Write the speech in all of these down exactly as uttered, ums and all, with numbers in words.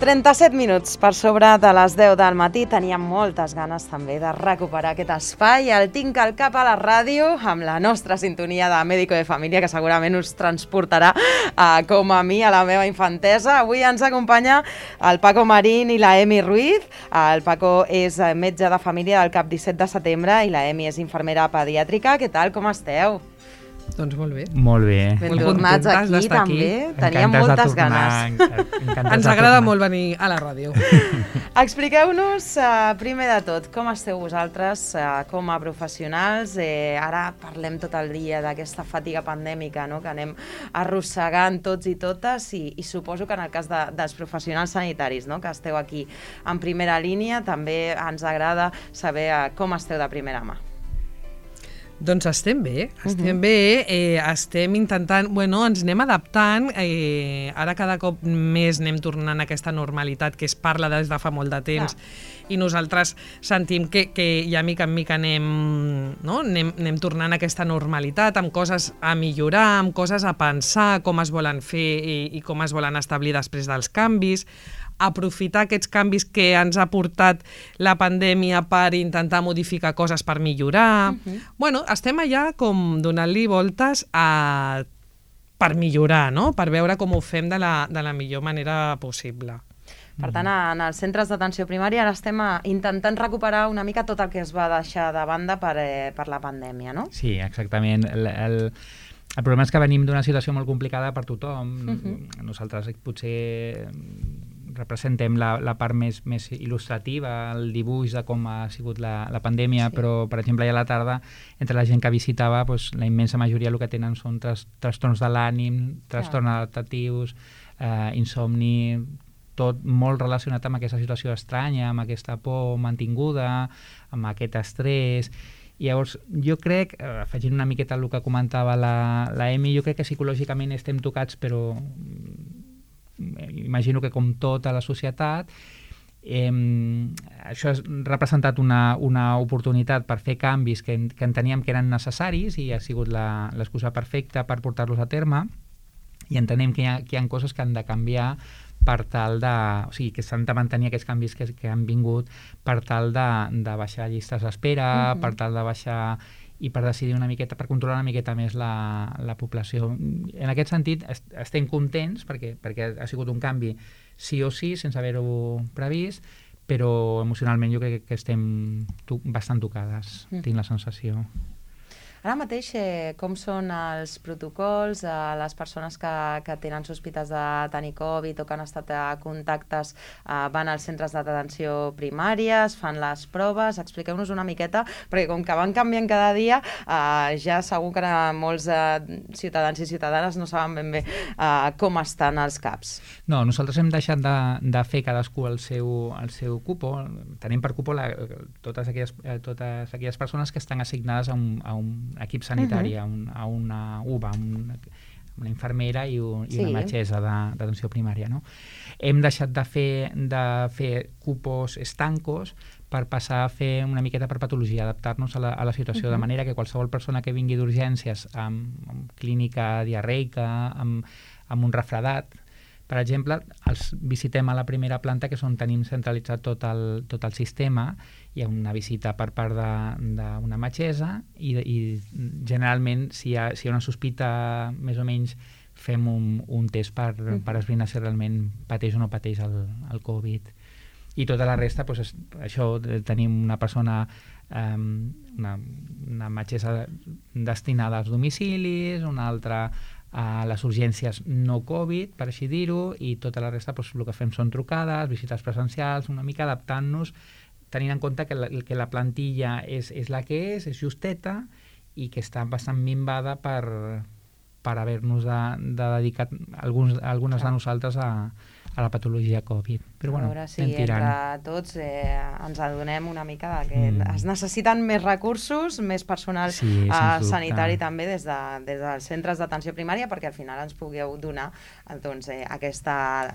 trenta-set minuts per sobre de les deu del matí. Teníem moltes ganes també de recuperar aquest espai. El tinc al cap a la ràdio amb la nostra sintonia de Médico de Família, que segurament us transportarà eh, com a mi a la meva infantesa. Avui ens acompanya el Paco Marín i la Emi Ruiz. El Paco és metge de família del CAP disset de setembre i la Emi és infermera pediàtrica. Què tal, com esteu? Doncs molt bé. Molt bé. Ben tornats aquí, també. Teníem moltes ganes. Ens agrada molt venir a la ràdio. Expliqueu-nos, uh, primer de tot, com esteu vosaltres uh, com a professionals. Eh, ara parlem tot el dia d'aquesta fatiga pandèmica, no?, que anem arrossegant tots i totes, i, i suposo que en el cas de, dels professionals sanitaris, no?, que esteu aquí en primera línia, també ens agrada saber uh, com esteu de primera mà. Doncs estem bé, estem uh-huh. bé, eh, estem intentant, bueno, ens anem adaptant, eh, ara cada cop més anem tornant a aquesta normalitat que es parla des de fa molt de temps, ah. i nosaltres sentim que, que ja mica en mica anem, no? anem, anem tornant a aquesta normalitat, amb coses a millorar, amb coses a pensar, com es volen fer i, i com es volen establir després dels canvis, aprofitar aquests canvis que ens ha portat la pandèmia per intentar modificar coses per millorar. Uh-huh. Bueno, estem allà com donant-li voltes a... per millorar, no?, per veure com ho fem de la, de la millor manera possible. Per tant, en els centres d'atenció primària ara estem intentant recuperar una mica tot el que es va deixar de banda per, eh, per la pandèmia, no? Sí, exactament. El, el, el problema és que venim d'una situació molt complicada per tothom. Uh-huh. Nosaltres potser representem la, la part més, més il·lustrativa, el dibuix de com ha sigut la, la pandèmia, sí. Però, per exemple, ja a la tarda, entre la gent que visitava, doncs, la immensa majoria el que tenen són tras, trastorns de l'ànim, trastorns ah. adaptatius, eh, insomni, tot molt relacionat amb aquesta situació estranya, amb aquesta por mantinguda, amb aquest estrès. I llavors, jo crec, afegint una miqueta el que comentava la, la Emi, jo crec que psicològicament estem tocats, però imagino que com tota la societat, eh, això ha representat una, una oportunitat per fer canvis que, que enteníem que eren necessaris i ha sigut l'excusa perfecta per portar-los a terme, i entenem que hi ha, que hi ha coses que han de canviar per tal de... O sigui, que s'han de mantenir aquests canvis que, que han vingut per tal de, de baixar llistes d'espera, uh-huh. per tal de baixar... i per decidir una miqueta, per controlar una miqueta més la, la població. En aquest sentit, est estem contents perquè, perquè ha sigut un canvi sí o sí, sense haver-ho previst, però emocionalment jo crec que estem to bastant tocades, mm. tinc la sensació. Ara mateix, eh, com són els protocols, eh, les persones que, que tenen sospites de tenir Covid o que han estat a contactes, eh, van als centres d'atenció primària, es fan les proves, expliqueu-nos una miqueta, perquè com que van canviant cada dia, eh, ja segur que molts eh, ciutadans i ciutadanes no saben ben bé eh, com estan els CAPs. No, nosaltres hem deixat de, de fer cadascú el seu, el seu cupo. Tenim per cupo la, totes, aquelles, totes aquelles persones que estan assignades a un, a un equip sanitari, uh-huh. a, un, a una U B A, una, una infermera i, un, i sí. una metgessa d'atenció primària. No? Hem deixat de fer, de fer cupos estancos per passar a fer una miqueta per patologia, adaptar-nos a, la, a la situació, uh-huh. de manera que qualsevol persona que vingui d'urgències amb, amb clínica diarreica, amb, amb un refredat, per exemple, els visitem a la primera planta, que és on tenim centralitzat tot el, tot el sistema. Hi ha una visita per part d'una metgessa i, i generalment, si hi, ha, si hi ha una sospita més o menys, fem un, un test per, uh-huh. per esbrinar si realment pateix o no pateix el, el Covid. I tota la resta, doncs, això, tenim una persona, um, una, una metgessa destinada als domicilis, una altra a les urgències no Covid, per així dir-ho, i tota la resta, doncs, el que fem són trucades, visites presencials, una mica adaptant-nos, tenint en compte que la, que la plantilla és, és la que és, és justeta, i que està bastant minvada per, per haver-nos de, de dedicat alguns, algunes de nosaltres a, a la patologia Covid. Però, bueno, a veure si entre tots eh, ens adonem una mica de que mm. es necessiten més recursos, més personal sí, eh, sanitari també des, de, des dels centres d'atenció primària, perquè al final ens pugueu donar doncs, eh, aquesta,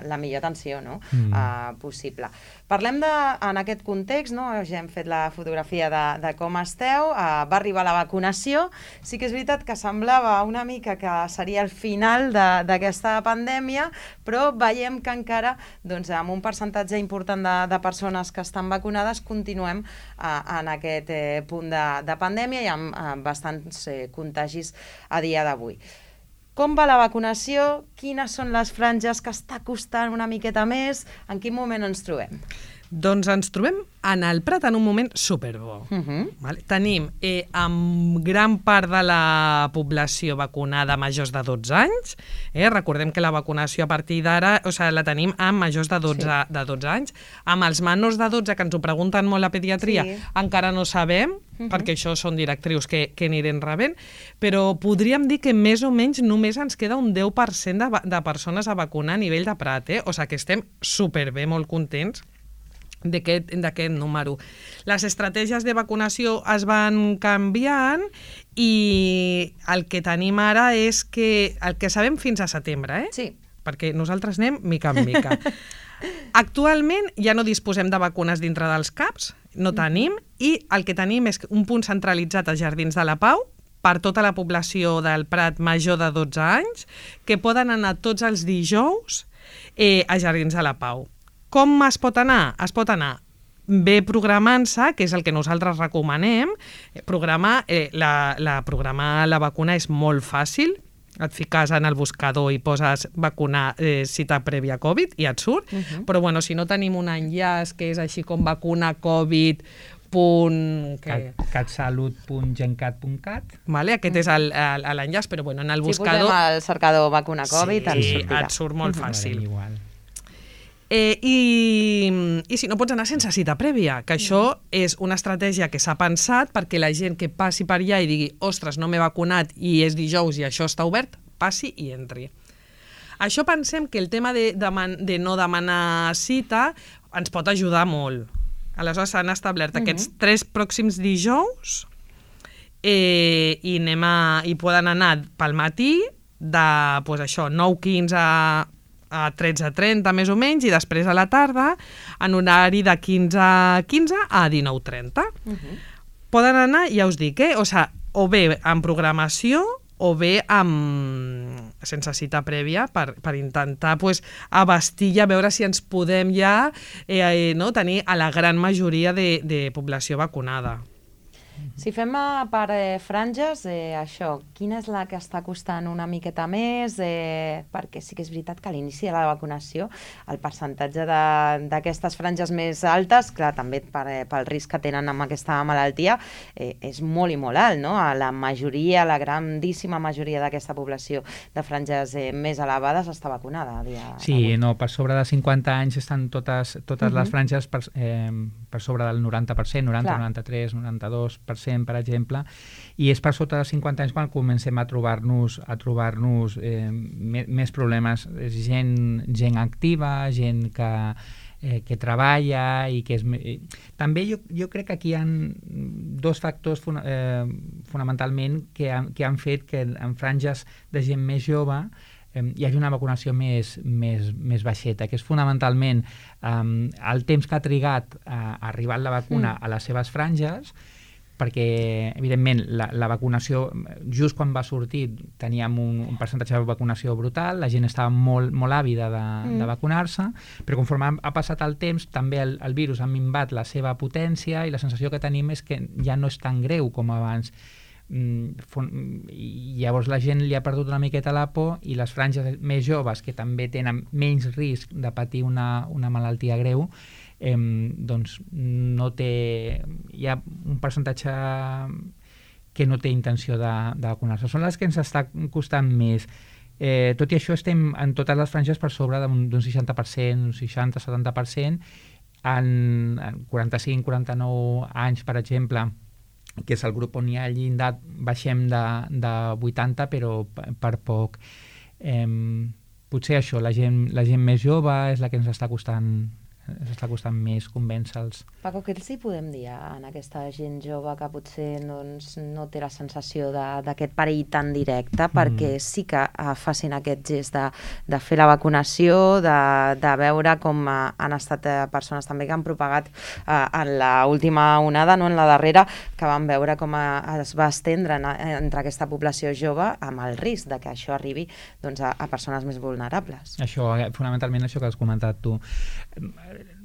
la millor atenció, no? mm. eh, possible. Parlem de, en aquest context, no? Ja hem fet la fotografia de, de com esteu, eh, va arribar la vacunació, sí que és veritat que semblava una mica que seria el final d'aquesta pandèmia, però veiem que encara encara, doncs, amb un percentatge important de, de persones que estan vacunades, continuem eh, en aquest eh, punt de, de pandèmia i amb eh, bastants eh, contagis a dia d'avui. Com va la vacunació? Quines són les franges que està costant una miqueta més? En quin moment ens trobem? Doncs ens trobem en el Prat en un moment superbo. Uh -huh. Vale? Tenim eh, amb gran part de la població vacunada majors de dotze anys. Eh? Recordem que la vacunació a partir d'ara, o sigui, la tenim amb majors de dotze, sí. de dotze anys. Amb els menors de dotze, que ens ho pregunten molt a pediatria, sí. encara no sabem, uh -huh. perquè això són directrius que, que anirem rebent, però podríem dir que més o menys només ens queda un deu per cent de, de persones a vacunar a nivell de Prat. Eh? O sigui que estem superbé, molt contents d'aquest número. Les estratègies de vacunació es van canviant i el que tenim ara és que el que sabem fins a setembre, eh? Sí. Perquè nosaltres anem mica en mica. Actualment ja no disposem de vacunes dintre dels C A Ps, no tenim, i el que tenim és un punt centralitzat als Jardins de la Pau per tota la població del Prat major de dotze anys, que poden anar tots els dijous eh, a Jardins de la Pau. Com es pot anar? Es pot anar bé programant-se, que és el que nosaltres recomanem. Programar, eh, la, la, programar la vacuna és molt fàcil. Et fiques en el buscador i poses vacunar eh, cita prèvia Covid i et surt. Uh -huh. Però bueno, si no tenim un enllaç que és així com vacuna Covid catsalut punt gencat punt cat. Vale, aquest és l'enllaç, però bueno, en el buscador... Si posem el cercador vacuna Covid, sí, ens sortirà. et surt molt fàcil. Igual. Eh, i, I si no pots anar sense cita prèvia, que això és una estratègia que s'ha pensat perquè la gent que passi per allà i digui ostres, no m'he vacunat i és dijous i això està obert, passi i entri. Això pensem que el tema de, de, de no demanar cita ens pot ajudar molt. Aleshores s'han establert uh -huh. aquests tres pròxims dijous eh, i, anem a, i poden anar pel matí de pues això, nou quinze a a tretze trenta més o menys, i després a la tarda en horari de quinze quinze a dinou trenta. Uh -huh. Poden anar, ja us dic, eh? O sigui, o bé en programació o bé amb sense cita prèvia per, per intentar pues, abastir i a veure si ens podem ja eh, no, tenir a la gran majoria de, de població vacunada. Si fem per eh, franges, eh, això, quina és la que està costant una miqueta més? Eh, perquè sí que és veritat que a l'inici de la vacunació el percentatge d'aquestes franges més altes, clar, també per, eh, pel risc que tenen amb aquesta malaltia, eh, és molt i molt alt, no? A la majoria, la grandíssima majoria d'aquesta població de franges eh, més elevades està vacunada. A dia sí, avui. no, per sobre de cinquanta anys estan totes, totes uh-huh. les franges per, eh, per sobre del noranta per cent, noranta, noranta-tres, noranta-dos per cent, per exemple, i és per sota de cinquanta anys quan comencem a trobar-nos a trobar-nos eh, més problemes. És gent, gent activa, gent que, eh, que treballa i que és... Eh, també jo, jo crec que aquí hi ha dos factors fun eh, fonamentalment que han, que han fet que en franges de gent més jove hi hagi una vacunació més, més, més baixeta, que és fonamentalment um, el temps que ha trigat a, a arribar la vacuna mm. a les seves franges, perquè, evidentment, la, la vacunació, just quan va sortir, teníem un, un percentatge de vacunació brutal, la gent estava molt, molt àvida de, mm. de vacunar-se, però conforme ha, ha passat el temps, també el, el virus ha minvat la seva potència i la sensació que tenim és que ja no és tan greu com abans. I llavors la gent li ha perdut una miqueta la por i les franges més joves, que també tenen menys risc de patir una, una malaltia greu, eh, doncs no té, hi ha un percentatge que no té intenció de, de vacunar-se. Són les que ens està costant més. Eh, tot i això estem en totes les franges per sobre d'un seixanta per cent, un seixanta a setanta per cent, en, en quaranta-cinc quaranta-nou anys, per exemple, que és el grup on hi ha el llindar, baixem de, de vuitanta, però per poc. Eh, potser això, la gent, la gent més jove és la que ens està costant ens està costant més convèncer-los. Paco, què els hi podem dir en aquesta gent jove que potser doncs, no té la sensació d'aquest perill tan directe, perquè mm. sí que uh, facin aquest gest de, de fer la vacunació, de, de veure com uh, han estat uh, persones també que han propagat uh, en l'última onada, no en la darrera, que van veure com uh, es va estendre en, entre aquesta població jove amb el risc de que això arribi doncs, a, a persones més vulnerables. Això, fonamentalment això que has comentat tu.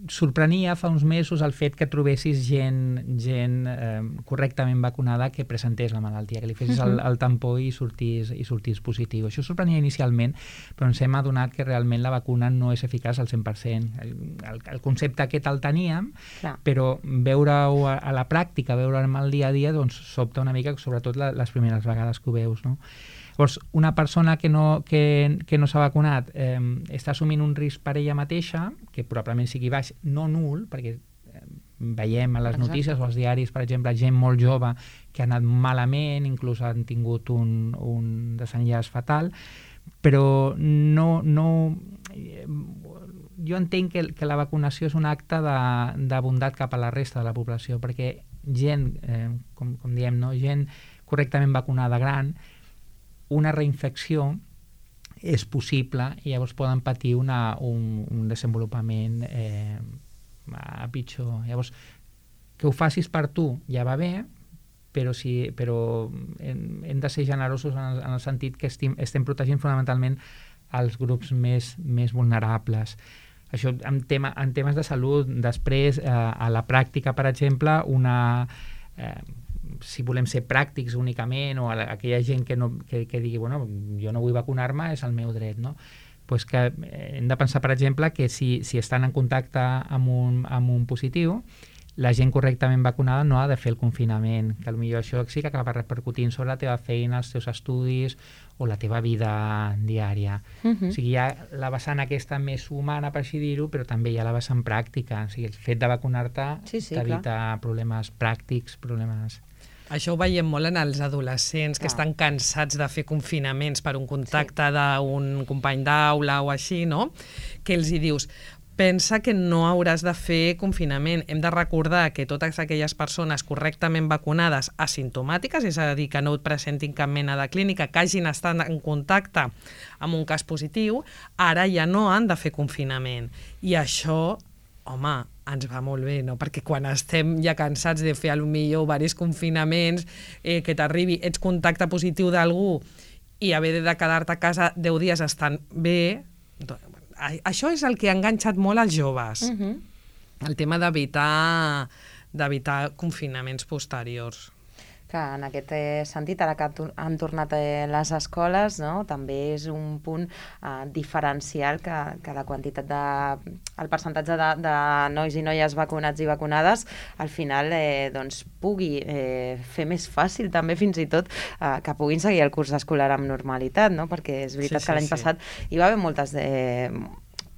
Sorprenia fa uns mesos el fet que trobessis gent, gent eh, correctament vacunada que presentés la malaltia, que li fessis el, el tampó i sortís, i sortís positiu. Això sorprenia inicialment, però ens hem adonat que realment la vacuna no és eficaç al cent per cent. El, el, el concepte aquest el teníem, Clar. però veure-ho a, a la pràctica, veure-ho en el dia a dia, doncs sobta una mica, sobretot la, les primeres vegades que ho veus, no? Llavors, una persona que no, que, que no s'ha vacunat eh, està assumint un risc per ella mateixa, que probablement sigui baix, no nul, perquè eh, veiem a les Exacte. notícies o als diaris, per exemple, gent molt jove que ha anat malament, inclús han tingut un, un desenllaç fatal, però no... no eh, jo entenc que, que la vacunació és un acte de, de bondat cap a la resta de la població, perquè gent, eh, com, com diem, no? gent correctament vacunada gran, una reinfecció és possible i llavors poden patir una, un, un desenvolupament eh, a pitjor. Llavors, que ho facis per tu ja va bé, però, si, però hem, hem de ser generosos en el, en el sentit que estem, estem protegint fonamentalment els grups més, més vulnerables. Això en, tema, en temes de salut. Després, eh, a la pràctica, per exemple, una... Eh, si volem ser pràctics únicament, o a la, a aquella gent que, no, que, que digui, bueno, jo no vull vacunar-me, és el meu dret, no? Pues que hem de pensar, per exemple, que si, si estan en contacte amb un, amb un positiu, la gent correctament vacunada no ha de fer el confinament, que potser això sí que acaba repercutint sobre la teva feina, els teus estudis o la teva vida diària. Uh-huh. O sigui, hi ha la vessant aquesta més humana, per així dir-ho, però també hi ha la vessant pràctica. O sigui, el fet de vacunar-te sí, sí, t'evita clar. problemes pràctics, problemes... Això ho veiem molt en els adolescents que ah. estan cansats de fer confinaments per un contacte sí. d'un company d'aula o així, no? Que els hi dius, pensa que no hauràs de fer confinament. Hem de recordar que totes aquelles persones correctament vacunades asimptomàtiques, és a dir, que no et presentin cap mena de clínica, que hagin estat en contacte amb un cas positiu, ara ja no han de fer confinament. I això, home, ens va molt bé, no? Perquè quan estem ja cansats de fer potser diversos confinaments, eh, que t'arribi, ets contacte positiu d'algú i haver de quedar-te a casa deu dies estan bé, això és el que ha enganxat molt als joves, uh-huh. el tema d'evitar d'evitar confinaments posteriors. Que en aquest sentit, ara que han tornat les escoles, no? També és un punt eh, diferencial que, que la quantitat de... el percentatge de, de nois i noies vacunats i vacunades al final eh, doncs, pugui eh, fer més fàcil també fins i tot eh, que puguin seguir el curs escolar amb normalitat, no? Perquè és veritat sí, sí, que l'any sí. passat hi va haver moltes... Eh,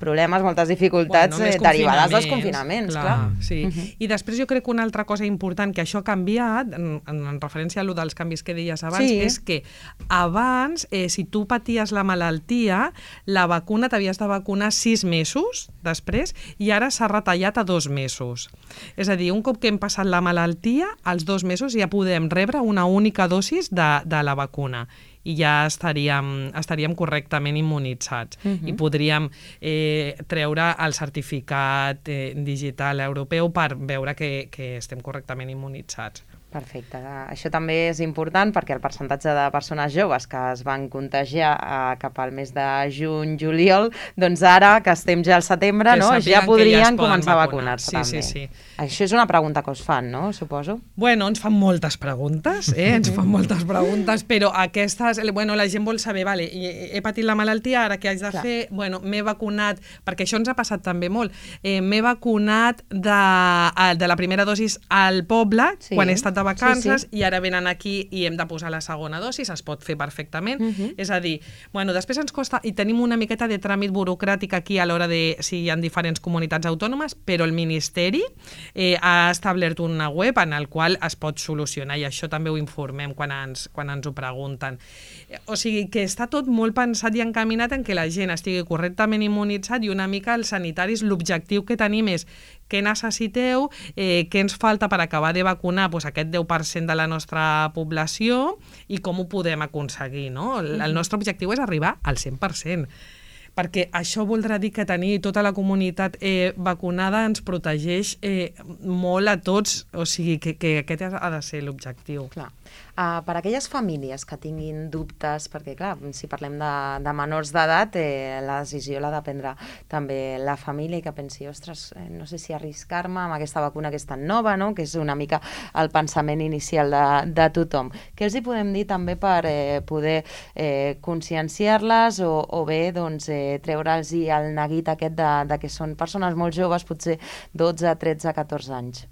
problemes, moltes dificultats bueno, eh, derivades dels confinaments, clar. clar. Sí. Uh-huh. I després jo crec que una altra cosa important que això ha canviat, en, en referència a allò dels canvis que deies abans, sí. és que abans, eh, si tu paties la malaltia, la vacuna t'havies de vacunar sis mesos després i ara s'ha retallat a dos mesos. És a dir, un cop que hem passat la malaltia, als dos mesos ja podem rebre una única dosis de, de la vacuna i ja estaríem, estaríem correctament immunitzats. Uh-huh. I podríem eh, treure el certificat eh, digital europeu per veure que, que estem correctament immunitzats. Perfecte. Això també és important perquè el percentatge de persones joves que es van contagiar eh, cap al mes de juny-juliol, doncs ara que estem ja al setembre, no, ja podrien ja començar a vacunar-se sí, també. Sí, sí. Això és una pregunta que us fan, no? Suposo. Bueno, ens fan moltes preguntes, eh? ens fan moltes preguntes, però aquestes, bueno, la gent vol saber, vale, he patit la malaltia, ara què haig de Clar. fer? Bueno, m'he vacunat, perquè això ens ha passat també molt, eh, m'he vacunat de, de la primera dosis al poble, sí. quan he estat de de vacances sí, sí. i ara venen aquí i hem de posar la segona dosi, es pot fer perfectament. Uh -huh. És a dir, bueno, després ens costa, i tenim una miqueta de tràmit burocràtic aquí a l'hora de si hi ha diferents comunitats autònomes, però el Ministeri eh, ha establert una web en el qual es pot solucionar, i això també ho informem quan ens, quan ens ho pregunten. O sigui que està tot molt pensat i encaminat en que la gent estigui correctament immunitzat, i una mica els sanitaris l'objectiu que tenim és què necessiteu, eh, què ens falta per acabar de vacunar doncs, aquest deu per cent de la nostra població i com ho podem aconseguir, no? El, el nostre objectiu és arribar al cent per cent, perquè això voldrà dir que tenir tota la comunitat eh, vacunada ens protegeix eh, molt a tots, o sigui que, que aquest ha de ser l'objectiu. Clar. Uh, per a aquelles famílies que tinguin dubtes, perquè clar, si parlem de, de menors d'edat, eh, la decisió l'ha de prendre també la família, i que pensi, ostres, eh, no sé si arriscar-me amb aquesta vacuna que és tan nova, no? Que és una mica el pensament inicial de, de tothom. Què els hi podem dir també per eh, poder eh, conscienciar-les o, o bé doncs, eh, treure'ls el neguit aquest de, de que són persones molt joves, potser dotze, tretze, catorze anys?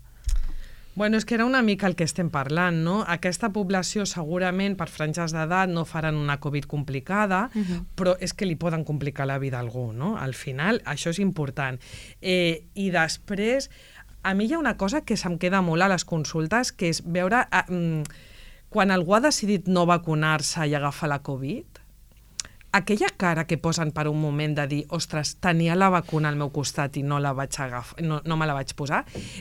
Bueno, és que era una mica el que estem parlant, no? Aquesta població segurament per franges d'edat no faran una Covid complicada, uh-huh. però és que li poden complicar la vida a algú, no? Al final, això és important. Eh, I després, a mi hi ha una cosa que se'm queda molt a les consultes, que és veure eh, quan algú ha decidit no vacunar-se i agafar la Covid, aquella cara que posen per un moment de dir, ostres, tenia la vacuna al meu costat i no la vaig agafar, no, no me la vaig posar,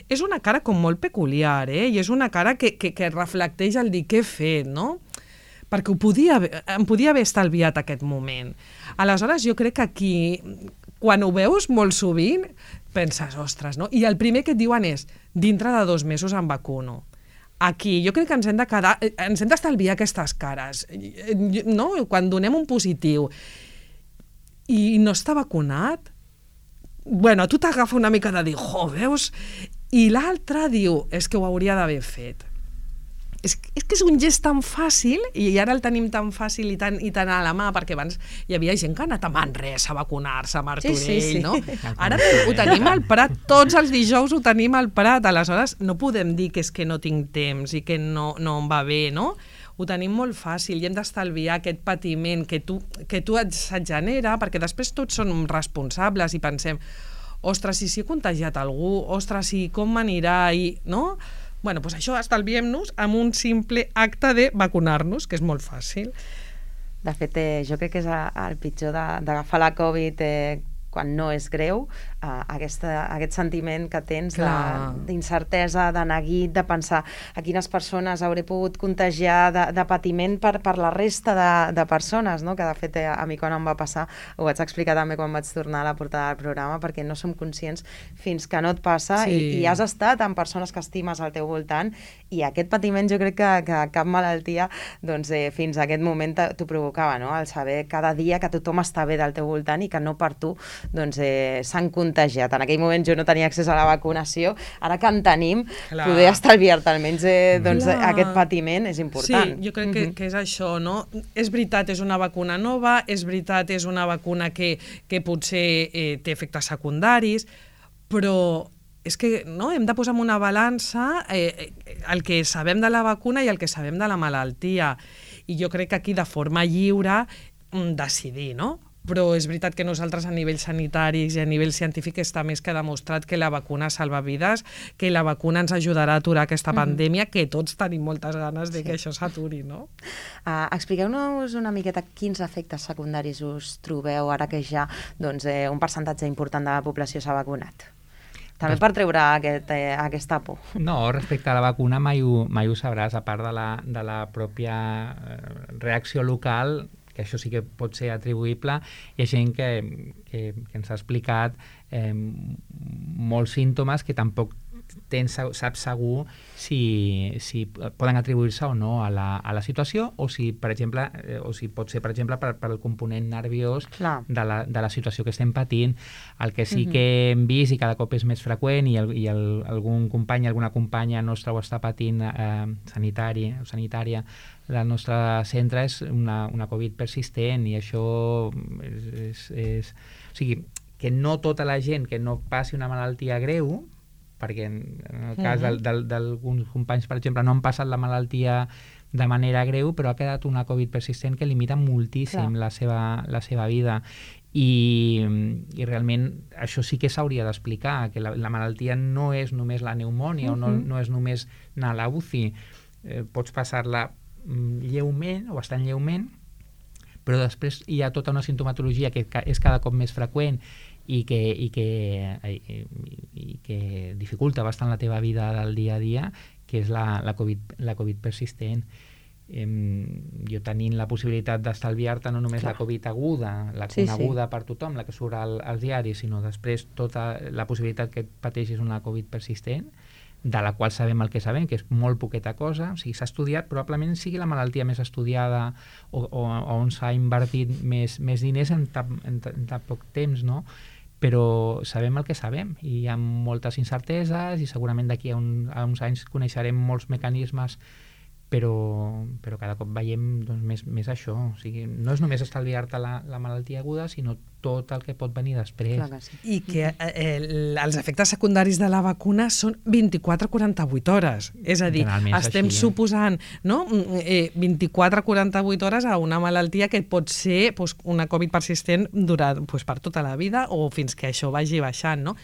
és una cara com molt peculiar, eh? I és una cara que, que, que reflecteix el dir què he fet, no? Perquè ho podia, em podia haver estalviat aquest moment. Aleshores, jo crec que aquí, quan ho veus molt sovint, penses, ostres, no? I el primer que et diuen és, dintre de dos mesos em vacuno. Aquí jo crec que ens hem de quedar, ens hem d'estalviar aquestes cares, no? Quan donem un positiu i no està vacunat, bueno, tu t'agafa una mica de dir, jo, veus? I l'altre diu, és que ho hauria d'haver fet. És, és que és un gest tan fàcil, i ara el tenim tan fàcil i tan, i tan a la mà, perquè abans hi havia gent que ha anat a Manresa a vacunar-se, a Martorell, sí, sí, sí. no? Ara ho tenim al Prat, tots els dijous ho tenim al Prat, aleshores no podem dir que és que no tinc temps i que no, no em va bé, no? Ho tenim molt fàcil i hem d'estalviar aquest patiment que tu, que tu et, et genera, perquè després tots som responsables i pensem, ostres, i si he contagiat algú, ostres, i com m'anirà, i no? Bueno, doncs això estalviem-nos amb un simple acte de vacunar-nos, que és molt fàcil. De fet, eh, jo crec que és el pitjor d'agafar la Covid eh, quan no és greu, eh, aquesta, aquest sentiment que tens d'incertesa, de, de neguit, de pensar a quines persones hauré pogut contagiar de, de patiment per, per la resta de, de persones, no? Que de fet eh, a mi quan em va passar, ho vaig explicar també quan vaig tornar a la portada del programa, perquè no som conscients fins que no et passa sí. i, i has estat amb persones que estimes al teu voltant, i aquest patiment jo crec que, que cap malaltia doncs, eh, fins a aquest moment t'ho provocava, no? El saber cada dia que tothom està bé del teu voltant i que no per tu doncs, eh, s'han contagiat. En aquell moment jo no tenia accés a la vacunació, ara que en tenim, Clar. Poder estalviar-te almenys eh, doncs, aquest patiment és important. Sí, jo crec que, que és això, no? És veritat, és una vacuna nova, és veritat, és una vacuna que, que potser eh, té efectes secundaris, però és que no, hem de posar en una balança eh, el que sabem de la vacuna i el que sabem de la malaltia. I jo crec que aquí de forma lliure decidir, no? Però és veritat que nosaltres a nivell sanitari i a nivell científic està més que demostrat que la vacuna salva vides, que la vacuna ens ajudarà a aturar aquesta pandèmia, mm. que tots tenim moltes ganes de sí. que això s'aturi, no? Uh, Expliqueu-nos una miqueta quins efectes secundaris us trobeu ara que ja doncs, eh, un percentatge important de la població s'ha vacunat. També per treure aquest, eh, aquesta por. No, respecte a la vacuna mai ho, mai ho sabràs, a part de la, de la pròpia reacció local, que això sí que pot ser atribuïble. Hi ha gent que, que, que ens ha explicat eh, molts símptomes que tampoc tens, saps segur si, si poden atribuir-se o no a la, a la situació, o si, per exemple, eh, o si pot ser, per exemple, per, per el component nerviós de la, de la situació que estem patint. El que sí uh-huh. que hem vist, i cada cop és més freqüent, i, el, i el, algun company, alguna companya nostra ho està patint eh, sanitari, sanitària, del nostre centre, és una, una Covid persistent, i això és, és, és... O sigui, que no tota la gent que no passi una malaltia greu perquè en el cas uh-huh. d'alguns companys, per exemple, no han passat la malaltia de manera greu, però ha quedat una Covid persistent que limita moltíssim la seva, la seva vida. I, i realment això sí que s'hauria d'explicar, que la, la malaltia no és només la pneumònia, uh-huh. o no, no és només anar a la U C I. Eh, pots passar-la lleument o bastant lleument, però després hi ha tota una sintomatologia que és cada cop més freqüent i que, i que, i, i que dificulta bastant la teva vida del dia a dia, que és la, la, COVID, la Covid persistent. Eh, jo tenint la possibilitat d'estalviar-te no només Clar. la Covid aguda, la sí, coneguda sí. per tothom, la que surt al, als diaris, sinó després tota la possibilitat que pateixis una Covid persistent, de la qual sabem el que sabem, que és molt poqueta cosa, o sigui, s'ha estudiat, probablement sigui la malaltia més estudiada o, o, o on s'ha invertit més, més diners en tan, en, en tan poc temps, no? Però sabem el que sabem i hi ha moltes incerteses i segurament d'aquí a, un, a uns anys coneixerem molts mecanismes, però, però cada cop veiem doncs, més, més això. O sigui, no és només estalviar-te la, la malaltia aguda, sinó tot el que pot venir després. Clar que sí. I que eh, els efectes secundaris de la vacuna són vint-i-quatre a quaranta-vuit hores. És a dir, estem així, suposant no? eh, vint-i-quatre a quaranta-vuit hores a una malaltia que pot ser pues, una Covid persistent durant, pues, per tota la vida o fins que això vagi baixant, no?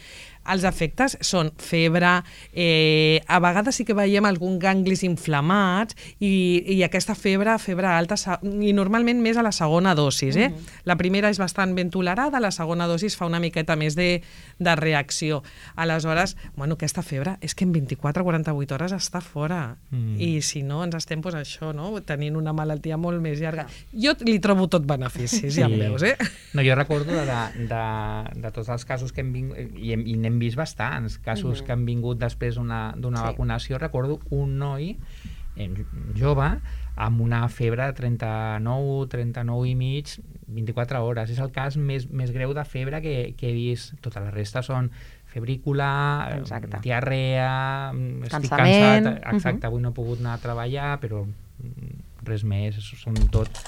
Els efectes són febre, eh, a vegades sí que veiem alguns ganglis inflamats i, i aquesta febre, febre alta, i normalment més a la segona dosis. Eh? Uh-huh. La primera és bastant ben tolerada, la segona dosis fa una miqueta més de, de reacció. Aleshores, bueno, aquesta febre és que en vint-i-quatre a quaranta-vuit hores està fora. Mm. I si no, ens estem pues, això, no? tenint una malaltia molt més llarga. Jo li trobo tot beneficis, sí. ja em veus, eh? No, jo recordo de, de, de tots els casos que hem vingut, i, hem, i n'hem vist bastants casos mm-hmm. que han vingut després d'una sí. vacunació. Recordo un noi eh, jove amb una febre de trenta-nou, trenta-nou i mig, vint-i-quatre hores. És el cas més, més greu de febre que, que he vist. Tota la resta són febrícula, Exacte. diarrea, estic cansat, exacte, uh-huh. avui no he pogut anar a treballar, però res més, són tot...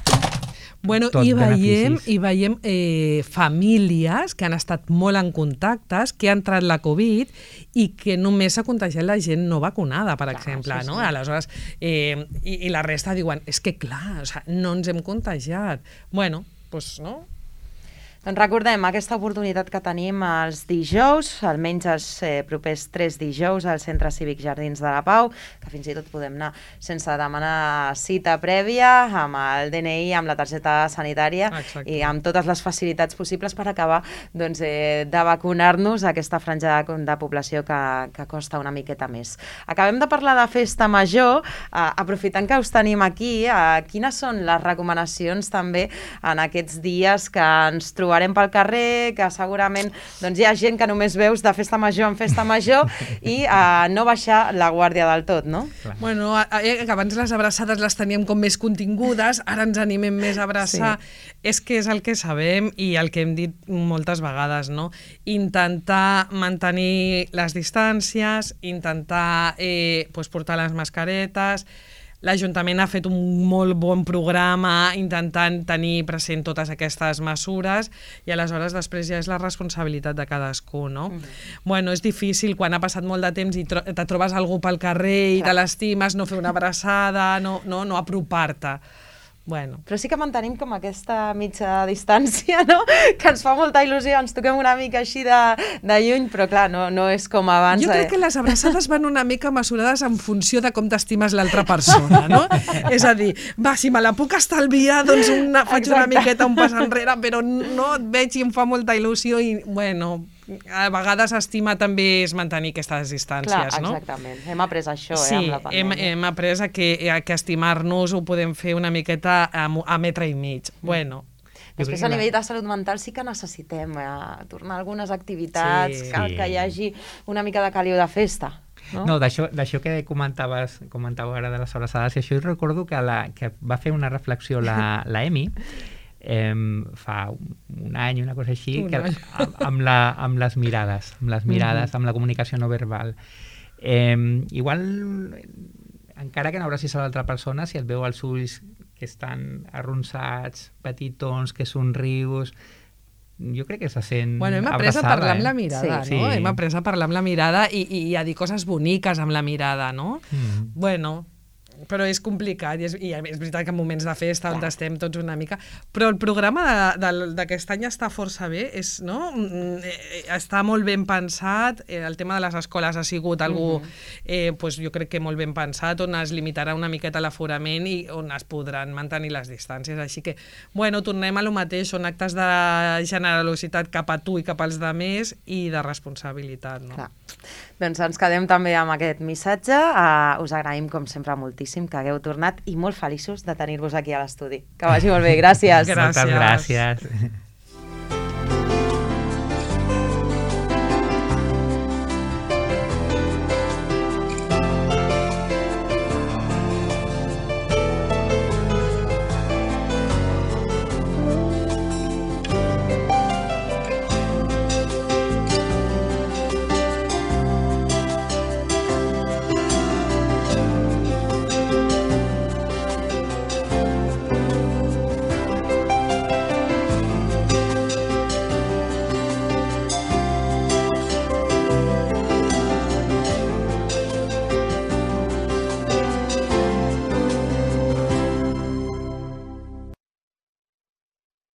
Bueno, i veiem, i veiem eh, famílies que han estat molt en contactes, que ha entrat la Covid i que només s'ha contagiat la gent no vacunada, per clar, exemple. Sí, sí. No? Aleshores, eh, i, i la resta diuen, és que clar, o sea, no ens hem contagiat. Bueno, doncs no... Doncs recordem aquesta oportunitat que tenim els dijous, almenys els eh, propers tres dijous al Centre Cívic Jardins de la Pau, que fins i tot podem anar sense demanar cita prèvia, amb el D N I, amb la targeta sanitària Exacte. I amb totes les facilitats possibles per acabar doncs, eh, de vacunar-nos a aquesta franja de, de població que, que costa una miqueta més. Acabem de parlar de festa major, eh, aprofitant que us tenim aquí, eh, quines són les recomanacions també en aquests dies que ens trobarem pel carrer, que segurament doncs, hi ha gent que només veus de festa major en festa major i uh, no baixar la guàrdia del tot, no? Bueno, eh, abans les abraçades les teníem com més contingudes, ara ens animem més a abraçar. Sí. És que és el que sabem i el que hem dit moltes vegades, no? Intentar mantenir les distàncies, intentar eh, pues, portar les mascaretes. L'Ajuntament ha fet un molt bon programa intentant tenir present totes aquestes mesures i aleshores després ja és la responsabilitat de cadascú, no? Mm-hmm. Bueno, és difícil quan ha passat molt de temps i tro te trobes algú pel carrer i Clar. te l'estimes, no fer una abraçada, no, no, no apropar-te. Bueno. Però sí que mantenim com aquesta mitja distància, no? Que ens fa molta il·lusió, ens toquem una mica així de, de lluny, però clar, no, no és com abans. Jo crec que les abraçades van una mica mesurades en funció de com t'estimes l'altra persona, no? És a dir, va, si me la puc estalviar, doncs una, faig Exacte. una miqueta un pas enrere, però no et veig i em fa molta il·lusió i, bueno... A vegades estima també és mantenir aquestes distàncies, Clar, no? Exactament. Hem après això, sí, eh, amb la pandèmia. Sí, hem, hem après a que, a que estimar-nos ho podem fer una miqueta a, a metre i mig. Mm. Bueno. Després, a nivell de salut mental, sí que necessitem eh, tornar a algunes activitats, sí. que, que hi hagi una mica de caliu de festa. No, no d'això que comentaves, comentava ara de les abraçades, i això recordo que, la, que va fer una reflexió la, la Emi, Eh, fa un any, una cosa així, que, amb, amb, la, amb les mirades, amb les mirades, mm-hmm. amb la comunicació no verbal. Eh, igual, encara que no abracis a l'altra persona, si et veu els ulls que estan arronsats, petitons, que somrius, jo crec que se sent bueno, hem après abraçada. a parlar eh? amb la mirada, sí. no? Sí. Hem après a parlar amb la mirada i, i a dir coses boniques amb la mirada, no? Mm. Bueno, però és complicat, i és, i és veritat que en moments de festa on estem tots una mica, però el programa d'aquest any està força bé, és, no? Està molt ben pensat, el tema de les escoles ha sigut algú, eh, pues jo crec que molt ben pensat, on es limitarà una miqueta l'aforament i on es podran mantenir les distàncies, així que, bueno, tornem a lo mateix, són actes de generositat cap a tu i cap als demés i de responsabilitat, no? Clar. Doncs ens quedem també amb aquest missatge. Uh, us agraïm, com sempre, moltíssim que hagueu tornat i molt feliços de tenir-vos aquí a l'estudi. Que vagi molt bé. Gràcies. Gràcies. Moltes gràcies.